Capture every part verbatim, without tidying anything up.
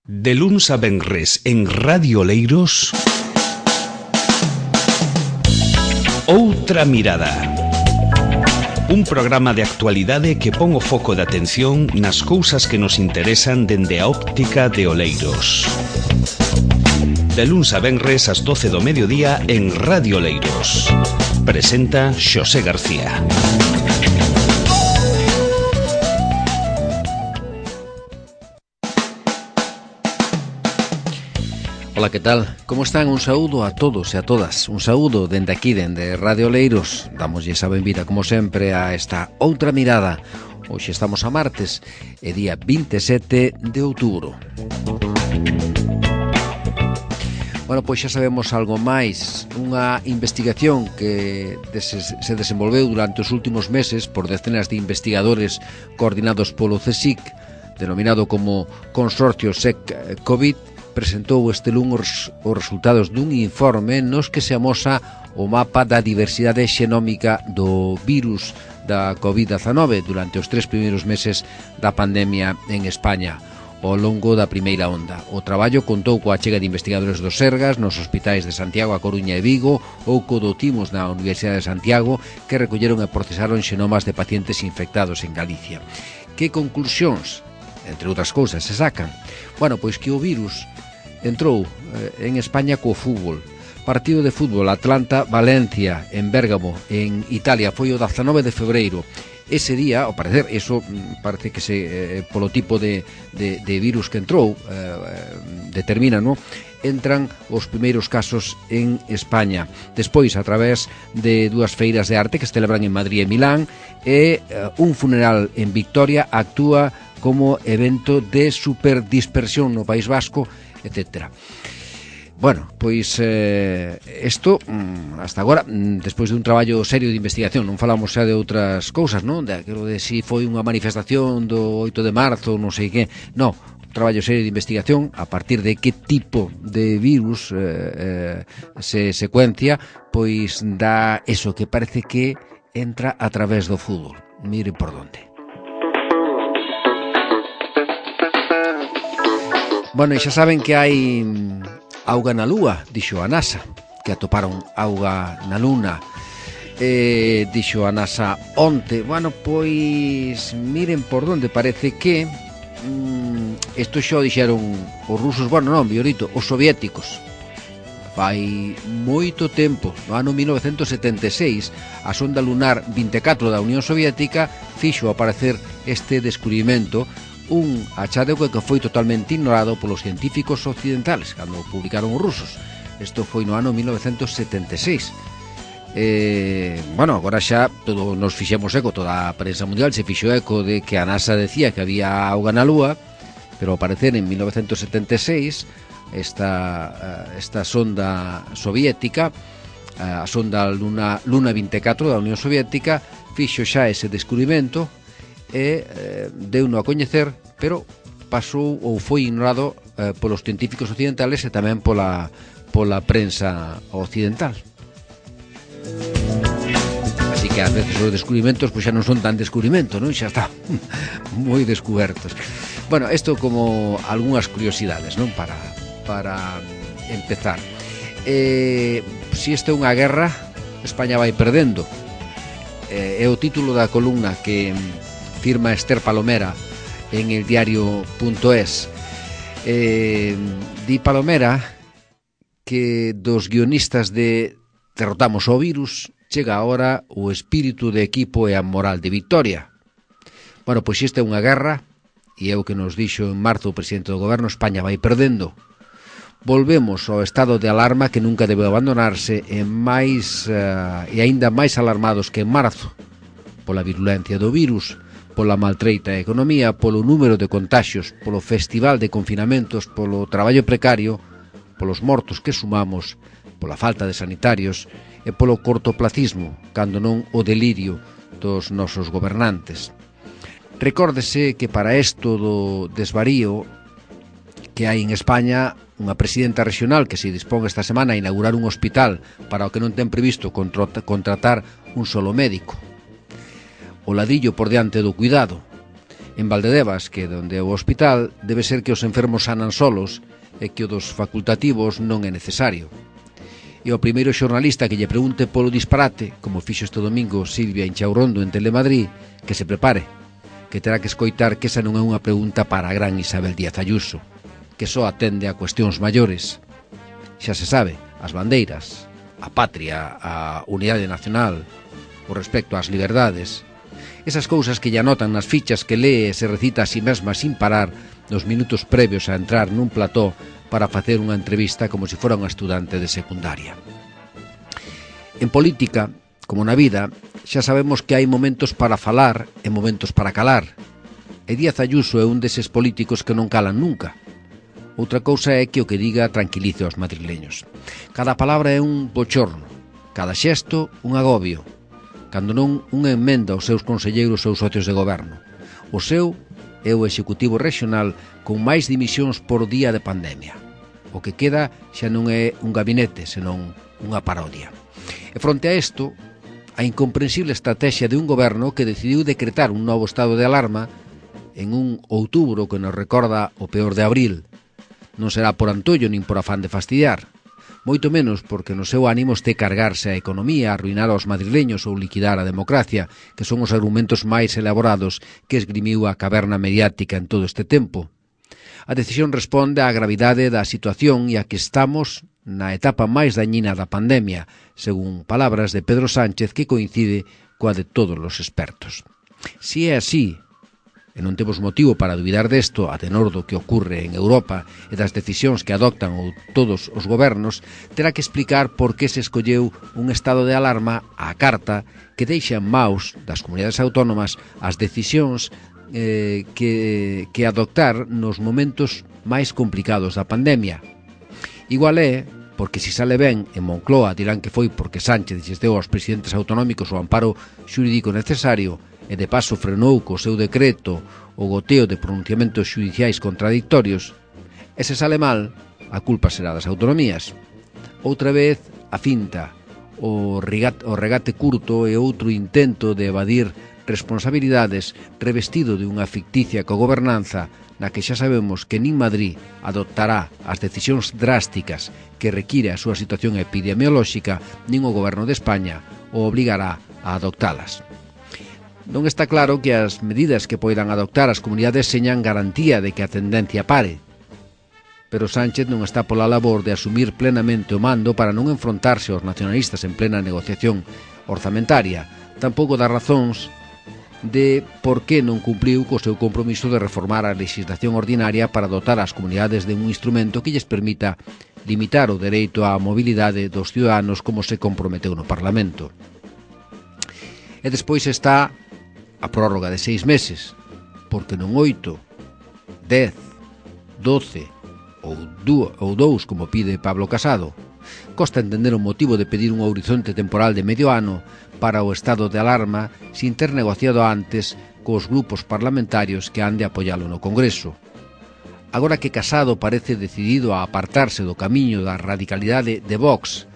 De luns a venres en Radio Oleiros, Outra Mirada. Un programa de actualidade que pon o foco de atención nas cousas que nos interesan dende a óptica de Oleiros. De luns a venres ás doce do mediodía en Radio Oleiros. Presenta Xosé García. Ola, que tal? Como están? Un saúdo a todos e a todas. Un saúdo dende aquí, dende Radio Oleiros. Damoslle a benvida, como sempre, a esta Outra Mirada. Hoxe estamos a martes, e día vinte e sete de outubro. Bueno, pois xa sabemos algo máis. Unha investigación que se desenvolveu durante os últimos meses por decenas de investigadores coordinados polo CSIC, denominado como Consorcio S E C COVID, presentou este luns os resultados dun informe nos que se amosa o mapa da diversidade xenómica do virus da covid dezenove durante os tres primeiros meses da pandemia en España, ao longo da primeira onda. O traballo contou coa achega de investigadores do Sergas nos hospitais de Santiago, A Coruña e Vigo, ou co do Timos na Universidade de Santiago, que recolleron e procesaron xenomas de pacientes infectados en Galicia. Que conclusións, entre outras cousas, se sacan? Bueno, pois que o virus entrou eh, en España co fútbol. Partido de fútbol Atlanta-Valencia en Bérgamo, en Italia, foi o dezenove de febreiro. Ese día, ao parecer, eso parece que se eh, polo tipo de, de, de virus que entrou eh, determina, no? Entran os primeiros casos en España. Despois, a través de dúas feiras de arte que se celebran en Madrid e Milán, e eh, un funeral en Vitoria actúa como evento de superdispersión no País Vasco, etcétera. Bueno, pois eh, isto, hasta agora, despois de un traballo serio de investigación, non falamos xa de outras cousas, non? De aquilo de si foi unha manifestación do oito de marzo, non sei que, non, un traballo serio de investigación a partir de que tipo de virus eh, eh, se secuencia, pois dá eso que parece que entra a través do fútbol. Mire por donde. Bueno, e xa saben que hai auga na lúa, dixo a NASA, que atoparon auga na luna. E dixo a NASA onte, bueno, pois miren por donde parece que mm, isto xa o dixeron os rusos, bueno, non, biorito, os soviéticos. Fai moito tempo, no ano mil novecentos setenta e seis, a sonda lunar vinte e catro da Unión Soviética fixo aparecer este descubrimento, un achadego que foi totalmente ignorado polos científicos occidentales cando publicaron os rusos. Isto foi no ano mil novecentos setenta e seis. Eh, bueno, agora xa todo nos fixemos eco, toda a prensa mundial se fixo eco de que a NASA decía que había auga na lúa, pero ao parecer en mil novecentos setenta e seis esta, esta sonda soviética, a sonda Luna, Luna vinte e catro da Unión Soviética, fixo xa ese descubrimento e eh, deu-no a coñecer, pero pasou ou foi ignorado eh, polos científicos occidentales e tamén pola, pola prensa occidental. Así que ás veces os descubrimentos pois xa non son tan descubrimentos, non? Xa está moi descubertos. Bueno, isto como algunhas curiosidades, non? Para, para empezar. Eh, si esta é unha guerra, España vai perdendo. Eh, é o título da columna que firma Esther Palomera en el diario punto es. Eh, di Palomera que dos guionistas de Derrotamos o virus chega agora o espírito de equipo e a moral de victoria. Bueno, pois esta é unha guerra e é o que nos dixo en marzo o presidente do goberno. España vai perdendo. Volvemos ao estado de alarma que nunca debe abandonarse e máis uh, e aínda máis alarmados que en marzo pola virulencia do virus, pola maltreita economía, polo número de contaxios, polo festival de confinamentos, polo traballo precario, polos mortos que sumamos, pola falta de sanitarios e polo cortoplacismo, cando non o delirio dos nosos gobernantes. Recórdese que para isto do desvarío que hai en España, unha presidenta regional que se dispón esta semana a inaugurar un hospital para o que non ten previsto contratar un solo médico. O ladrillo por diante do cuidado. En Valdedevas, que donde o hospital debe ser que os enfermos sanan solos e que o dos facultativos non é necesario. E o primeiro xornalista que lle pregunte polo disparate, como fixo este domingo Silvia Inchaurrondo en Telemadrid, que se prepare, que terá que escoitar que esa non é unha pregunta para a gran Isabel Díaz Ayuso, que só atende a cuestións maiores. Xa se sabe, as bandeiras, a patria, a unidade nacional, o respecto ás liberdades, esas cousas que lle anotan nas fichas que lee e se recita a si mesma sin parar nos minutos previos a entrar nun plató para facer unha entrevista como se fora unha estudante de secundaria. En política, como na vida, xa sabemos que hai momentos para falar e momentos para calar. E Díaz Ayuso é un deses políticos que non calan nunca. Outra cousa é que o que diga tranquilice aos madrileños. Cada palabra é un bochorno, cada xesto un agobio, cando non unha emenda aos seus conselleiros ou socios de goberno. O seu é o Executivo Regional con máis dimisións por día de pandemia. O que queda xa non é un gabinete, senón unha parodia. E fronte a isto, a incomprensible estrategia de un goberno que decidiu decretar un novo estado de alarma en un outubro que nos recorda o peor de abril. Non será por antollo nin por afán de fastidiar, moito menos porque no seu ánimo este cargarse a economía, arruinar aos madrileños ou liquidar a democracia, que son os argumentos máis elaborados que esgrimiu a caverna mediática en todo este tempo. A decisión responde á gravidade da situación e a que estamos na etapa máis dañina da pandemia, según palabras de Pedro Sánchez, que coincide coa de todos os expertos. Si é así, e non temos motivo para dubidar desto a tenor do que ocorre en Europa e das decisións que adoptan todos os gobernos, terá que explicar por que se escolleu un estado de alarma á carta que deixa en maus das comunidades autónomas as decisións eh, que, que adoptar nos momentos máis complicados da pandemia. Igual é porque se sale ben en Moncloa dirán que foi porque Sánchez lles deu aos presidentes autonómicos o amparo xurídico necesario e de paso frenou co seu decreto o goteo de pronunciamentos xudiciais contradictorios. E se sale mal, a culpa será das autonomías. Outra vez, a finta, o regate, o regate curto e outro intento de evadir responsabilidades revestido de unha ficticia cogobernanza na que xa sabemos que nin Madrid adoptará as decisións drásticas que require a súa situación epidemiolóxica, nin o goberno de España o obligará a adoptalas. Non está claro que as medidas que poidan adoptar as comunidades señan garantía de que a tendencia pare, pero Sánchez non está pola labor de asumir plenamente o mando para non enfrontarse aos nacionalistas en plena negociación orzamentaria, tampouco dá razóns de por que non cumpliu co seu compromiso de reformar a legislación ordinaria para dotar as comunidades de un instrumento que lles permita limitar o dereito á mobilidade dos ciudadanos como se comprometeu no Parlamento. E despois está a prórroga de seis meses, porque non oito, dez, doce ou dous como pide Pablo Casado. Costa entender o motivo de pedir un horizonte temporal de medio ano para o estado de alarma sin ter negociado antes cos grupos parlamentarios que han de apoialo no Congreso. Agora que Casado parece decidido a apartarse do camiño da radicalidade de Vox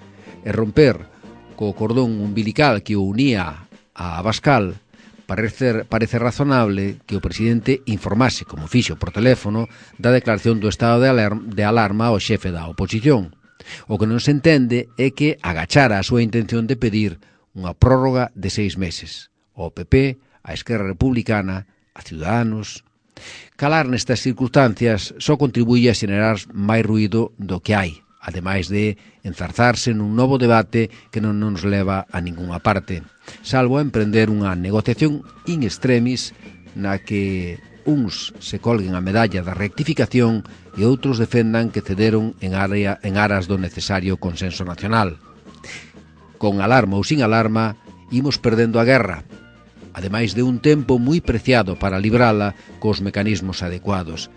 e romper co cordón umbilical que o unía a Abascal, parece, parece razonable que o presidente informase, como fixo por teléfono, da declaración do estado de alarma, de alarma ao xefe da oposición. O que non se entende é que agachara a súa intención de pedir unha prórroga de seis meses ao P P, a Esquerra Republicana, a Ciudadanos. Calar nestas circunstancias só contribuye a xenerar máis ruído do que hai, ademais de enzarzarse nun novo debate que non nos leva a ningunha parte, salvo a emprender unha negociación in extremis na que uns se colguen a medalla da rectificación e outros defendan que cederon en, área, en aras do necesario consenso nacional. Con alarma ou sin alarma, imos perdendo a guerra, ademais de un tempo moi preciado para librala cos mecanismos adecuados.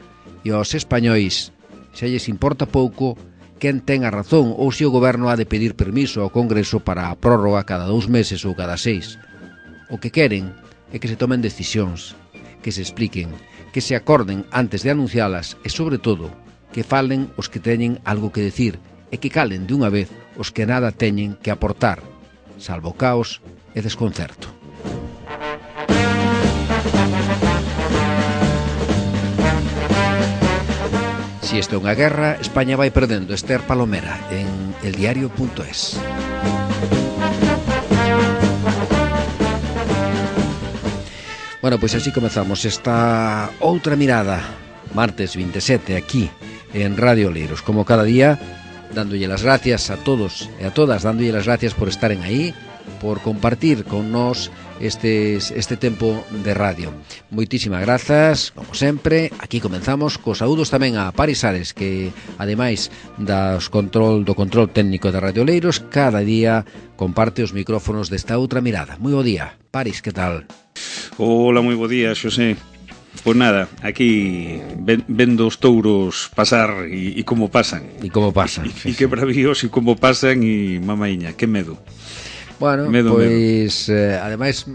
E aos españois xa lles importa pouco quen ten a razón ou se o goberno ha de pedir permiso ao Congreso para a prórroga cada dous meses ou cada seis. O que queren é que se tomen decisións, que se expliquen, que se acorden antes de anuncialas e, sobre todo, que falen os que teñen algo que decir e que calen de unha vez os que nada teñen que aportar, salvo caos e desconcerto. Si esta é unha guerra, España vai perdendo. Esther Palomera, en eldiario punto es. Bueno, pois así comezamos esta outra mirada, martes vinte e sete, aquí en Radio Oleiros. Como cada día, dándolle las gracias a todos e a todas, dándolle las gracias por estaren aí, por compartir con nós este, este tempo de radio. Moitísimas grazas, como sempre. Aquí comenzamos cos saúdos tamén a Paris Ares, que ademais das control, do control técnico de Radio Oleiros, cada día comparte os micrófonos desta outra mirada. Moi bo día, Paris, que tal? Hola, moi bo día, Xosé. Pois nada, aquí ven, vendo os touros pasar e, e como pasan. E como pasan. E, e que bravíos e como pasan e mamaiña, que medo. Bueno, medo, pois, medo. Eh, ademais,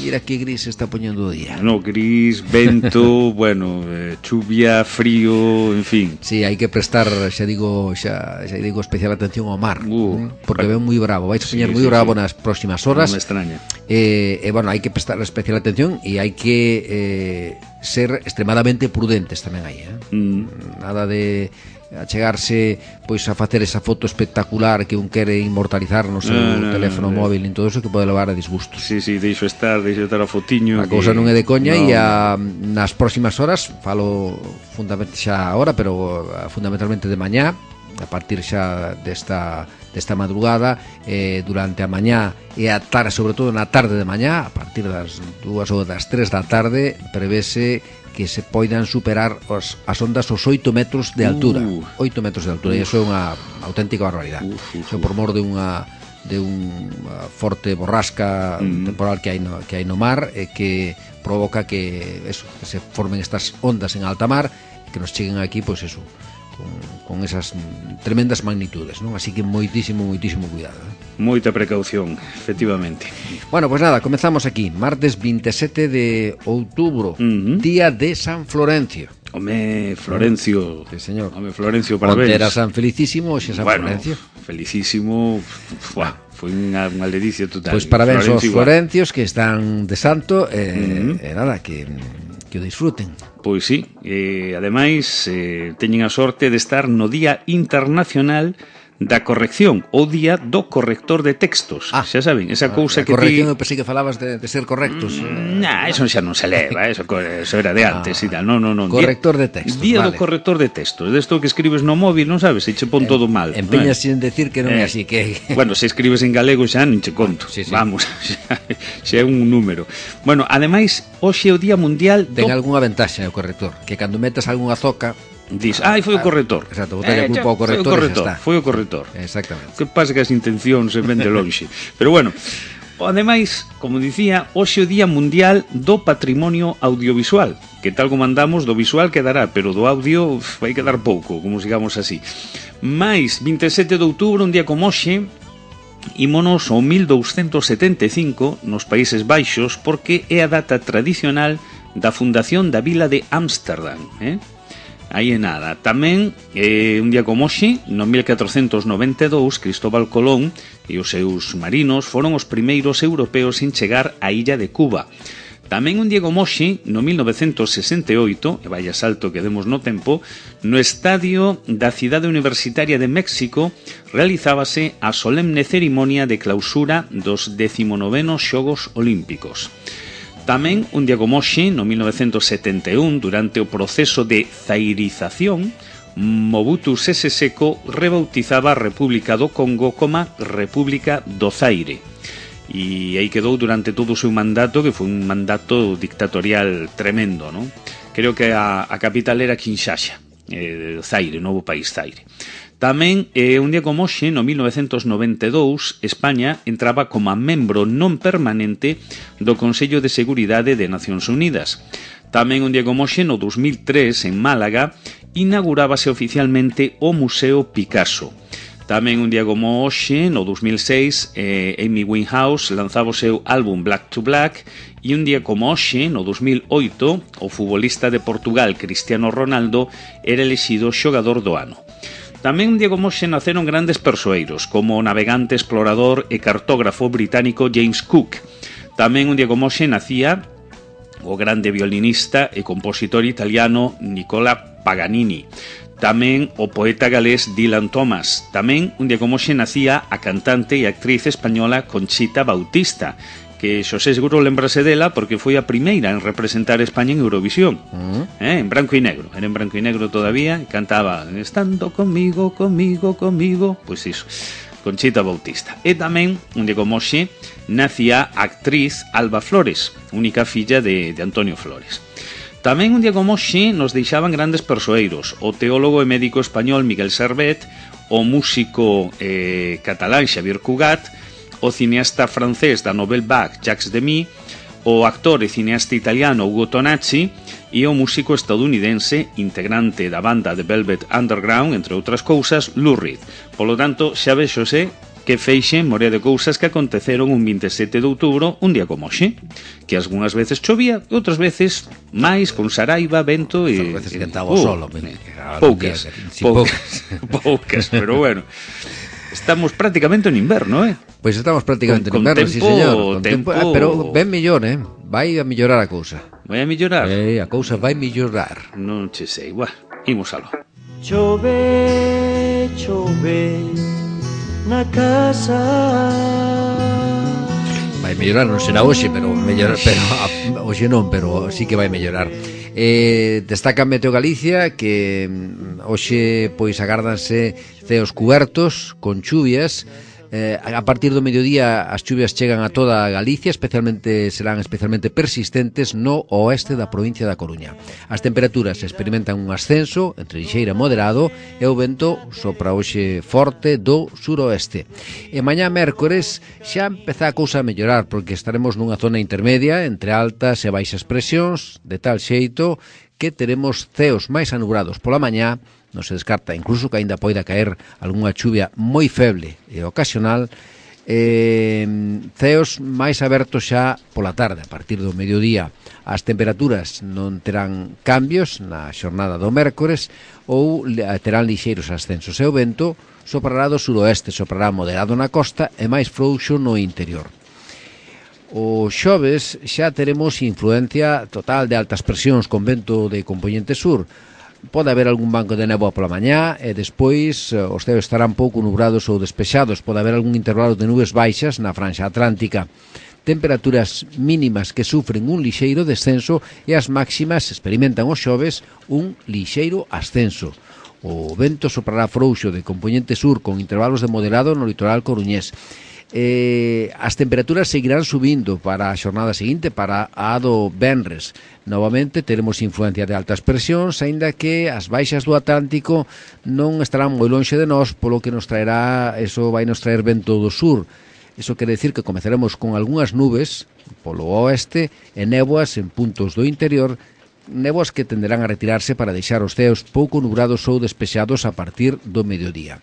mira que gris está poñendo o día. No, gris, vento, bueno, eh, chuvia, frío, en fin. Sí, hai que prestar, xa digo, xa, xa digo especial atención ao mar, uh, porque ven moi bravo, vais a poñer sí, moi sí, bravo sí. nas próximas horas. Non me extraña. Eh, e, eh, bueno, hai que prestar especial atención e hai que eh, ser extremadamente prudentes tamén aí, eh? Mm. Nada de achegarse pois a facer esa foto espectacular que un quere inmortalizar no seu no, no, teléfono no, no, móvil e todo eso, que pode levar a disgustos. Sí, sí, deixo estar, deixo estar a fotiño. A cousa que... non é de coña no. E a, nas próximas horas, falo fundamentalmente xa agora, pero fundamentalmente de mañá, a partir xa desta desta madrugada, eh, durante a mañá e a tarde, sobre todo na tarde de mañá, a partir das dúas ou das tres da tarde, prevese que se poidan superar os, as ondas os oito metros de altura. Uh, oito metros de altura, uh, e iso é unha auténtica barbaridade. Uh, uh, iso por mor de unha de unha forte borrasca uh, temporal que hai no, que hai no mar, e que provoca que eso, que se formen estas ondas en alta mar, que nos cheguen aquí, pois eso, con, con esas tremendas magnitudes, non? Así que moitísimo, moitísimo cuidado, eh? Moita precaución, efectivamente. Bueno, pois pues nada, comezamos aquí, martes vinte e sete de outubro, uh-huh. Día de San Florencio. Home, Florencio. Sí, señor. Home, Florencio, parabéns. Onte era San Felicísimo, hoxe San bueno, Florencio. Felicísimo, fuá, foi unha, unha ledicia total. Pois pues parabéns aos Florencios que están de santo, e eh, uh-huh. eh, nada, que... que o disfruten. Pois sí, e ademais eh, teñen a sorte de estar no Día Internacional da Corrección, o Día do Corrector de Textos. Ah, xa saben, esa cousa ah, que corrección, ti... eu pensei que falabas de, de ser correctos. Mm, nah, eso xa non se leva, eso, eso era de antes ah, e tal. No, no, no. Corrector de textos. Día vale. do Corrector de Textos. Desto que escribes no móvil, non sabes, se che pon eh, todo mal. Empeñas sin decir que non é eh, así que... Bueno, se escribes en galego xa non che conto. Sí, sí. Vamos, xa, xa é un número. Bueno, ademais, hoxe é o Día Mundial do... Ten algunha ventaxa o corrector, que cando metas algunha zoca... Dis, ai, foi o corrector. Exacto, botelle a culpa ao corrector, foi o corrector, está. Foi o corrector. Exactamente. Que pasa que as intencións se ven de lonxe. Pero bueno, ademais, como dicía, hoxe o Día Mundial do Patrimonio Audiovisual, que tal como andamos, do visual quedará, pero do audio uf, vai quedar pouco, como sigamos así. Mais, vinte e sete de outubro, un día como hoxe, ímonos ao mil douscentos setenta e cinco nos Países Baixos, porque é a data tradicional da fundación da vila de Ámsterdam, eh? Aí é nada. Tamén, eh, un día como hoxe, no mil catrocentos noventa e dous, Cristóbal Colón e os seus marinos foron os primeiros europeos en chegar á illa de Cuba. Tamén un día como hoxe, no mil novecentos sesenta e oito, e vaya salto que demos no tempo, no estadio da Cidade Universitaria de México realizábase a solemne cerimonia de clausura dos decimonovenos Xogos Olímpicos. Tamén, un día como hoxe, no mil novecentos setenta e un, durante o proceso de zairización, Mobutu Sese Seko rebautizaba a República do Congo como República do Zaire. E aí quedou durante todo o seu mandato, que foi un mandato dictatorial tremendo, non? Creo que a, a capital era Kinshasa, eh, Zaire, novo país Zaire. Tamén, eh, un día como hoxe, no mil novecentos noventa e dous, España entraba como membro non permanente do Consello de Seguridade de Nacións Unidas. Tamén un día como hoxe, no dos mil tres, en Málaga, inaugurábase oficialmente o Museo Picasso. Tamén un día como hoxe, no dos mil seis, eh, Amy Winehouse lanzaba o seu álbum Black to Black, e un día como hoxe, no dos mil oito, o futbolista de Portugal Cristiano Ronaldo era elexido xogador do ano. Tamén un día como hoxe naceron grandes persoeiros, como o navegante, explorador e cartógrafo británico James Cook. Tamén un día como hoxe nacía o grande violinista e compositor italiano Nicola Paganini. tamén o poeta galés Dylan Thomas. Tamén, un día como hoxe, nacía a cantante e actriz española Conchita Bautista, que Xosé seguro lembrase dela porque foi a primeira en representar España en Eurovisión. Uh-huh. eh, en branco e negro, era en branco e negro todavía, e cantaba estando conmigo, conmigo, conmigo, pois iso, Conchita Bautista. E tamén, un día como hoxe, nacía a actriz Alba Flores, única filla de, de Antonio Flores. Tamén un día como hoxe nos deixaban grandes persoeiros, o teólogo e médico español Miguel Servet, o músico eh, catalán Xavier Cugat, o cineasta francés da Nouvelle Vague Jacques Demy, o actor e cineasta italiano Ugo Tonacci e o músico estadounidense, integrante da banda The Velvet Underground, entre outras cousas, Lou Reed. Polo tanto, xa vexose que feixe morea de cousas que aconteceron un vinte e sete de outubro, un día como hoxe, que algunhas veces chovía e outras veces máis con saraiva, vento e... Outras veces cantaba o solo. Poucas, poucas, poucas, pero bueno... Estamos prácticamente en inverno, eh? Pois estamos prácticamente en inverno, sí, señor. Con tempo, tempo... Ah, pero ben mellor, eh? Vai a mellorar a cousa. Vai a mellorar? Eh, a cousa vai mellorar. Non che sei, buah, imos aló. Chove, chove na casa. Vai mellorar, non será hoxe, pero mellorar, pero hoxe non, pero sí que vai mellorar. Eh, destaca Meteo Galicia que hoxe pois agárdanse ceos cubertos con chuvias. Eh, a partir do mediodía as chuvias chegan a toda Galicia, especialmente serán especialmente persistentes no oeste da provincia da Coruña. As temperaturas experimentan un ascenso entre lixeira e moderado e o vento sopra hoxe forte do suroeste. E mañá mércores xa empeza a cousa a mellorar porque estaremos nunha zona intermedia entre altas e baixas presións, de tal xeito que teremos ceos máis anubrados pola mañá. Non se descarta incluso que aínda poida caer algunha chuvia moi feble e ocasional, eh, ceos máis abertos xa pola tarde, a partir do mediodía. As temperaturas non terán cambios na xornada do mércores ou terán lixeiros ascensos e o vento soprará do suroeste, soprará moderado na costa e máis frouxo no interior. O xoves xa teremos influencia total de altas presións con vento de compoñente sur. Pode haber algún banco de néboa pola mañá e despois os ceos estarán pouco nubrados ou despexados. Pode haber algún intervalo de nubes baixas na franxa atlántica. Temperaturas mínimas que sufren un lixeiro descenso e as máximas experimentan os xoves un lixeiro ascenso. O vento soprará frouxo de compoñente sur con intervalos de moderado no litoral coruñés. Eh, as temperaturas seguirán subindo para a xornada seguinte, para a do venres. Novamente teremos influencia de altas presións, aínda que as baixas do Atlántico non estarán moi lonxe de nós, polo que nos traerá, eso vai nos traer vento do sur. Iso quere decir que comezaremos con algunhas nubes polo oeste e néboas en puntos do interior, néboas que tenderán a retirarse para deixar os ceos pouco nubrados ou despexados a partir do mediodía.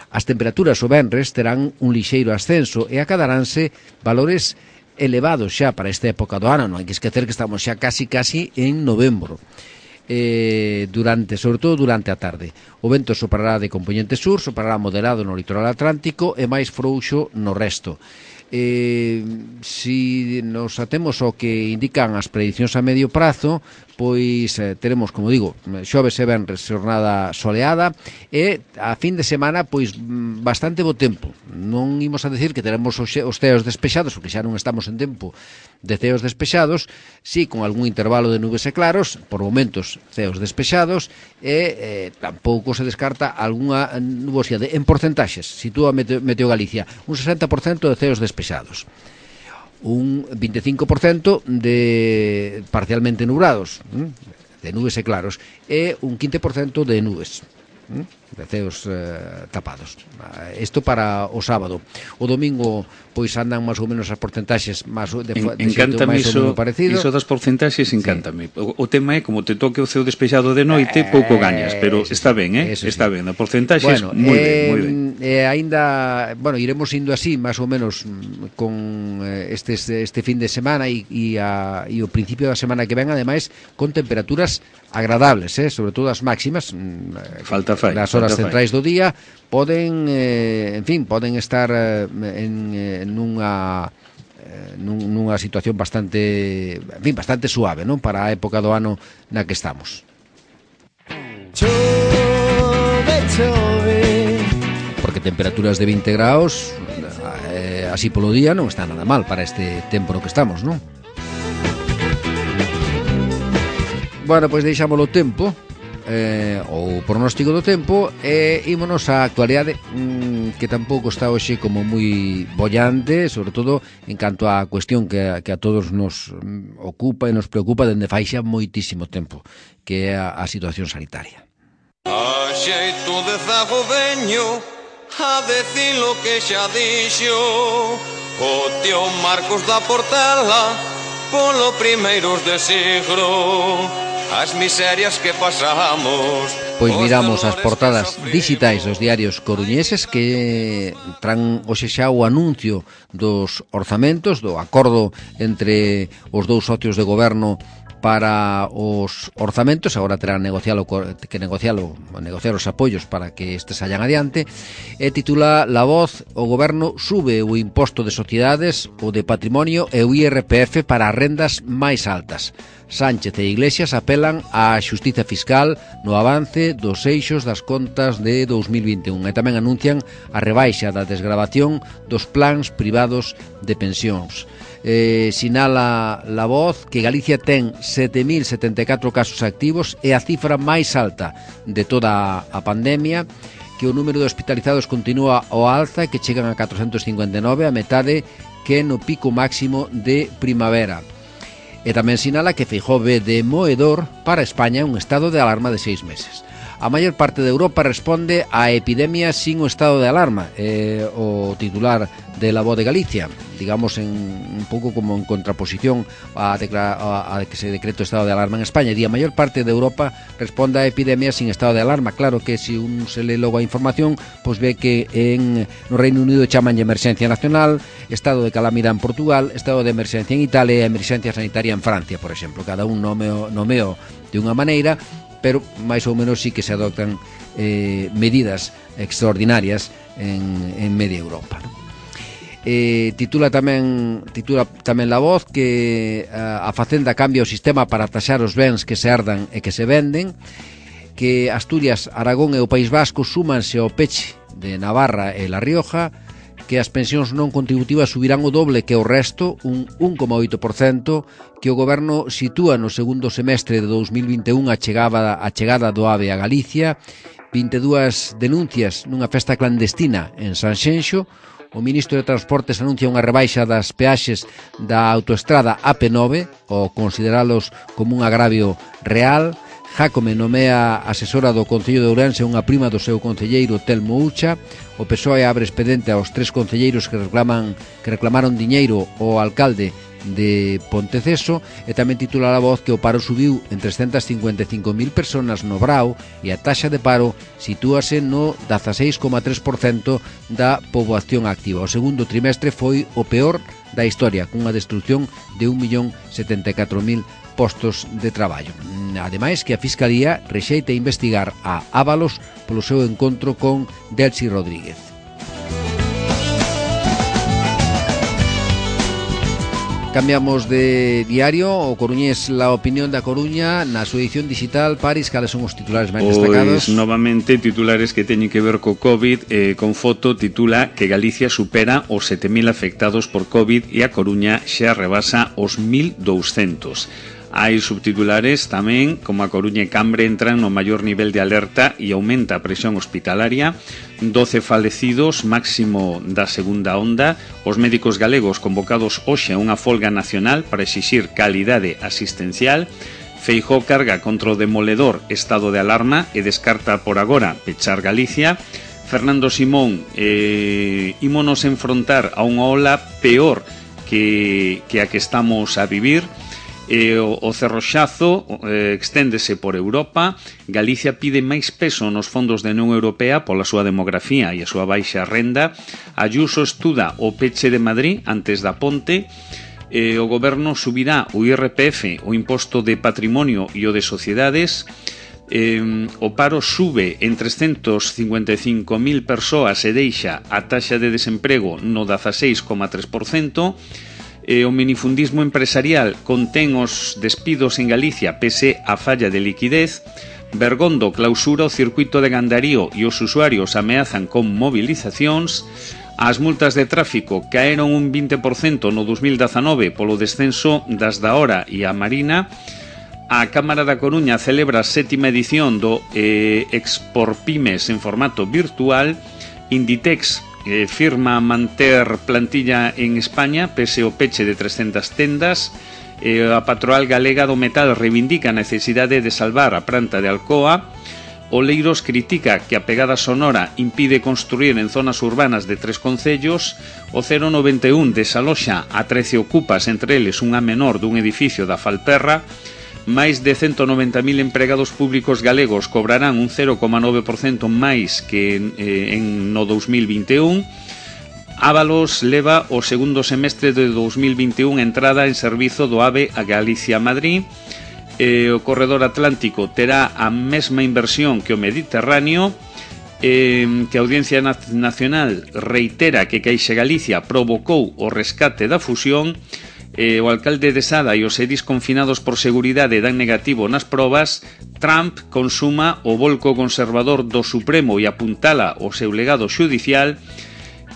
As temperaturas o venres terán un lixeiro ascenso e acadaránse valores elevados xa para esta época do ano. Non hai que esquecer que estamos xa casi casi en novembro. Eh, durante, sobre todo durante a tarde. O vento soprará de compoñente sur, soprará moderado no litoral atlántico e máis frouxo no resto. Eh, si nos atemos ao que indican as predicións a medio prazo, pois eh, teremos, como digo, xoves e venres xornada soleada e a fin de semana pois bastante bo tempo. Non imos a decir que teremos os ceos despexados, porque xa non estamos en tempo de ceos despexados, si con algún intervalo de nubes e claros, por momentos ceos despexados e eh, tampouco se descarta algunha nubosidade. En porcentaxes, sitúa Meteo, Meteo Galicia, un sesenta por cento de ceos despexados, un vinte e cinco por cento de parcialmente nublados, de nubes e claros, e un quince por cento de nubes, de ceos eh, tapados. Isto para o sábado. O domingo pois andan máis ou menos as porcentaxes máis de, de encántame máis ou menos parecido. Iso das porcentaxes encántame. Sí. O, o tema é como te toque o ceo despexado de noite, eh, pouco gañas, pero eso está ben, eh? Está sí. ben, a porcentaxes bueno, moi eh, ben, moi ben. Eh, aínda, bueno, iremos indo así máis ou menos con eh, este este fin de semana e e a e o principio da semana que ven, ademais con temperaturas agradables, eh, sobre todo as máximas. Falta fai. Nas horas centrais do día poden, eh, en fin, poden estar eh, en, en nunha eh, nunha situación bastante, en fin, bastante suave, non? Para a época do ano na que estamos. Chau. temperaturas de vinte graus eh, así polo día non está nada mal para este tempo no que estamos, non? Bueno, pois deixámoslo o tempo eh, o pronóstico do tempo e ímonos á actualidade mmm, que tampouco está hoxe como moi bollante, sobre todo en canto á cuestión que, que a todos nos ocupa e nos preocupa dende fai xa moitísimo tempo, que é a, a situación sanitaria. A xeito de zago veño a decir lo que xa dixo o tío Marcos da Portela polo primeiros de siglo. As miserias que pasamos. Pois miramos as portadas digitais dos diarios coruñeses que tran hoxe xa o anuncio dos orzamentos, do acordo entre os dous socios de goberno para os orzamentos. Agora terán negocialo, que negocialo, negociar os apoios para que estes sallan adiante. E titula La Voz: o goberno sube o imposto de sociedades, o de patrimonio e o I R P F para as rendas máis altas. Sánchez e Iglesias apelan á xustiza fiscal no avance dos eixos das contas de dous mil vinte e un e tamén anuncian a rebaixa da desgravación dos plans privados de pensións. Eh, sinala La Voz que Galicia ten sete mil setenta e catro casos activos e a cifra máis alta de toda a pandemia, que o número de hospitalizados continúa ao alza e que chegan a catrocentos cincuenta e nove, a metade que no pico máximo de primavera. E tamén sinala que Feijóo ve de moedor para España un estado de alarma de seis meses. A maior parte de Europa responde á epidemia sin o estado de alarma, eh, o titular de La Voz de Galicia, digamos en un pouco como en contraposición a, a, a que se decrete o estado de alarma en España. Di, a maior parte de Europa responde á epidemia sin estado de alarma. Claro que se un se le logo a información, pois ve que en no Reino Unido chaman de emerxencia nacional, estado de calamidade en Portugal, estado de emerxencia en Italia e emerxencia sanitaria en Francia, por exemplo. Cada un nomeo, nomeo de unha maneira, pero máis ou menos sí que se adoptan eh, medidas extraordinarias en, en media Europa, ¿no? Eh, titula tamén titula tamén La Voz que a, a Facenda cambia o sistema para taxar os bens que se herdan e que se venden, que Asturias, Aragón e o País Vasco súmanse ao peche de Navarra e La Rioja, que as pensións non contributivas subirán o doble que o resto, un un coma oito por cento, que o goberno sitúa no segundo semestre de dous mil vinte e un a chegada, a chegada do AVE a Galicia, vinte e dúas denuncias nunha festa clandestina en Sanxenxo. O ministro de Transportes anuncia unha rebaixa das peaxes da autoestrada A P nove, ao consideralos como un agravio real. Jácome nomea asesora do Concello de Ourense unha prima do seu concelleiro Telmo Ucha. O P S O E abre expediente aos tres concelleiros que reclaman que reclamaron diñeiro ao alcalde de Ponteceso. E tamén titula La Voz que o paro subiu en trescentas cincuenta e cinco mil personas no Brao e a taxa de paro sitúase no dezaseis coma tres por cento da poboación activa. O segundo trimestre foi o peor da historia, cunha destrucción de un millón setenta e catro mil postos de traballo. Ademais que a Fiscalía rexeita investigar a Ábalos polo seu encontro con Delcy Rodríguez. Cambiamos de diario, o coruñés La Opinión da Coruña, na súa edición digital. Paris, cales son os titulares máis destacados? Pois, novamente, titulares que teñen que ver co COVID, eh, con foto titula que Galicia supera os sete mil afectados por COVID e a Coruña xa rebasa os mil douscentos. Hai subtitulares tamén, como a Coruña e Cambre entran no maior nivel de alerta e aumenta a presión hospitalaria, doce falecidos, máximo da segunda onda, os médicos galegos convocados hoxe a unha folga nacional para exixir calidade asistencial, Feijóo carga contra o demoledor estado de alarma e descarta por agora pechar Galicia. Fernando Simón, eh, ímonos enfrontar a unha ola peor que, que a que estamos a vivir. E o, o cerroxazo eh, exténdese por Europa. Galicia pide máis peso nos fondos da Unión Europea pola súa demografía e a súa baixa renda. Ayuso estuda o peche de Madrid antes da ponte. Eh, o goberno subirá o I R P F, o imposto de patrimonio e o de sociedades. Eh, o paro sube en trescentos cincuenta e cinco mil persoas e deixa a taxa de desemprego no dezaseis coma tres por cento. E o minifundismo empresarial contén os despidos en Galicia pese a falla de liquidez. Bergondo clausura o circuito de Gandarío e os usuarios ameazan con movilizacións. As multas de tráfico caeron un vinte por cento no dos mil dezanove polo descenso das da hora e a Marina. A Cámara da Coruña celebra a sétima edición do eh, Exporpymes en formato virtual. Inditex eh, firma manter plantilla en España pese ao peche de trescentas tendas. Eh, a patronal galega do metal reivindica a necesidade de salvar a planta de Alcoa. Oleiros critica que a pegada sonora impide construir en zonas urbanas de tres concellos. O cero noventa e un desaloxa a trece ocupas, entre eles unha menor dun edificio da Falperra. Máis de cento noventa mil empregados públicos galegos cobrarán un cero coma nove por cento máis que eh, en no dos mil vinte e un. Ábalos leva o segundo semestre de dos mil vinte e un entrada en servizo do AVE a Galicia-Madrid. Eh, o corredor atlántico terá a mesma inversión que o Mediterráneo. Eh, que a Audiencia Nacional reitera que Caixa Galicia provocou o rescate da fusión. Eh, o alcalde de Sada e os edis confinados por seguridade dan negativo nas probas. Trump consuma o volco conservador do Supremo e apuntala o seu legado xudicial.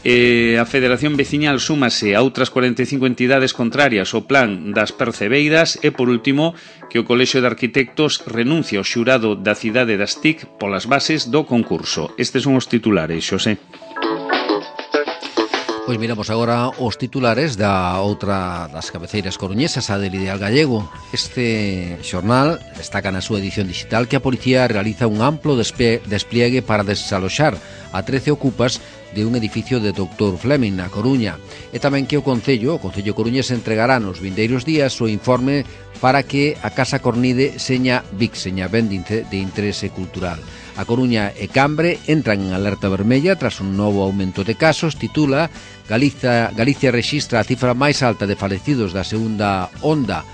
Eh, a Federación Veciñal súmase a outras cuarenta e cinco entidades contrarias ao plan das percebeiras. E, por último, que o Colexio de Arquitectos renuncia ao xurado da cidade das T I C polas bases do concurso. Estes son os titulares, Xosé. Pois miramos agora os titulares da outra das cabeceiras coruñesas, a del Ideal Gallego. Este xornal destaca na súa edición digital que a policía realiza un amplo despliegue para desaloxar a trece ocupas de un edificio de doutor Fleming na Coruña, e tamén que o Concello, o Concello Coruñés entregará nos vindeiros días o informe para que a Casa Cornide seña B I C, seña ben de interese cultural. A Coruña e Cambre entran en alerta vermella tras un novo aumento de casos. Titula Galicia, Galicia rexistra a cifra máis alta de falecidos da segunda onda,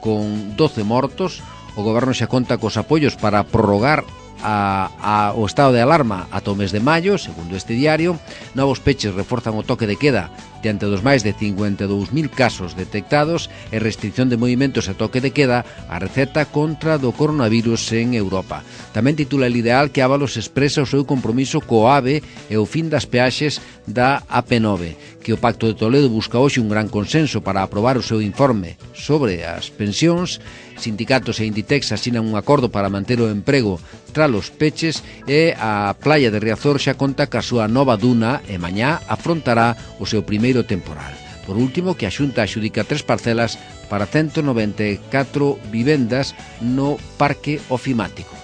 con doce mortos. O Goberno xa conta cos apoios para prorrogar a, a, o estado de alarma ata o mes de maio, segundo este diario. Novos peches reforzan o toque de queda diante dos máis de cincuenta e dous mil casos detectados e restricción de movimentos e toque de queda a receta contra do coronavirus en Europa. Tamén titula El Ideal que Ábalos expresa o seu compromiso co AVE e o fin das peaxes da A P nove, que o Pacto de Toledo busca hoxe un gran consenso para aprobar o seu informe sobre as pensións. Sindicatos e Inditex asinan un acordo para manter o emprego tras os peches, e a Playa de Riazor xa conta ca súa nova duna e mañá afrontará o seu primeiro temporal. Por último, que a Xunta adxudica tres parcelas para ciento noventa e catro vivendas no Parque Ofimático.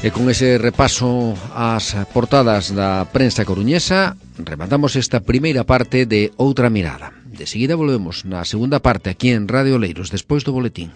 E con ese repaso ás portadas da prensa coruñesa, rematamos esta primeira parte de Outra Mirada. De seguida volvemos na segunda parte aquí en Radio Oleiros, despois do boletín.